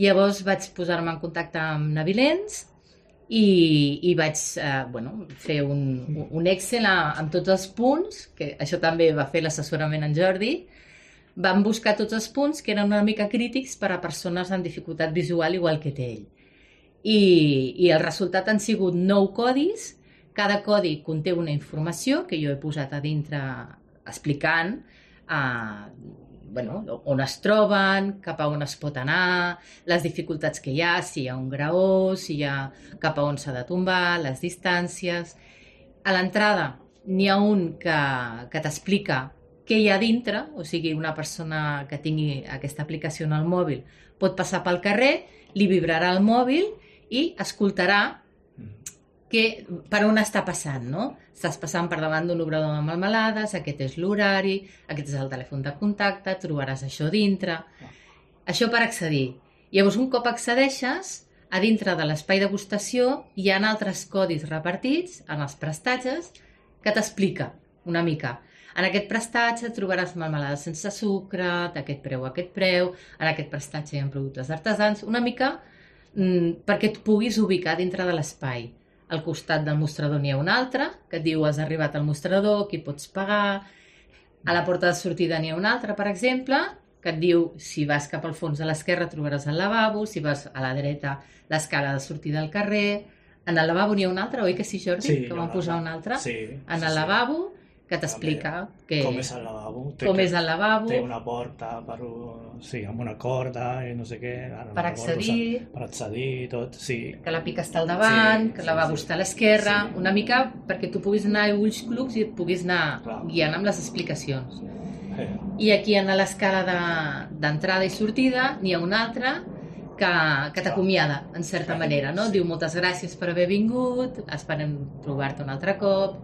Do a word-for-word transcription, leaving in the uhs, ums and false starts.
Llavors vaig posar-me en contacte amb Navilens i, i vaig eh, bueno, fer un, un Excel amb tots els punts, que això també va fer l'assessorament en Jordi. Vam buscar tots els punts que eren una mica crítics per a persones amb dificultat visual igual que té ell. I, i el resultat han sigut nou codis. Cada codi conté una informació que jo he posat a dintre explicant eh, bueno, on es troben, cap a on es pot anar, les dificultats que hi ha, si hi ha un graó, si hi ha cap a on s'ha de tombar, les distàncies. A l'entrada n'hi ha un que, que t'explica què hi ha dintre, o sigui, una persona que tingui aquesta aplicació en el mòbil pot passar pel carrer, li vibrarà el mòbil i escoltarà que, per on està passant, no? Estàs passant per davant d'un obrador de melmelades, aquest és l'horari, aquest és el telèfon de contacte, trobaràs això dintre. Això per accedir. Llavors, un cop accedeixes, a dintre de l'espai degustació hi ha altres codis repartits en els prestatges que t'explica una mica. En aquest prestatge trobaràs melmelades sense sucre, d'aquest preu a aquest preu, en aquest prestatge hi ha productes artesans, una mica mmm, perquè et puguis ubicar dintre de l'espai. Al costat del mostrador n'hi ha un altre, que et diu has arribat al mostrador, aquí pots pagar. A la porta de sortida n'hi ha un altre, per exemple, que et diu si vas cap al fons a l'esquerra trobaràs el lavabo, si vas a la dreta l'escala de sortida al carrer. En el lavabo n'hi ha un altre, oi que sí, Jordi? Sí, que vam posar un altre. Sí, en sí, el sí. lavabo, que t'explica que... com és el lavabo. Té com que- és el lavabo. Té una porta per, sí, amb una corda i no sé què. Ara no Per recordo, accedir. per accedir i tot, sí. Que la pica està al davant, Sí, que sí, el lavabo sí. està a l'esquerra, Sí. una mica perquè tu puguis anar a ulls clucs i et puguis anar Clar. guiant amb les explicacions. Eh, I aquí en l'escala de- d'entrada i sortida n'hi ha un altre que, que t'acomiada, en certa Clar. manera, no? Sí. Diu moltes gràcies per haver vingut, esperem trobar-te un altre cop.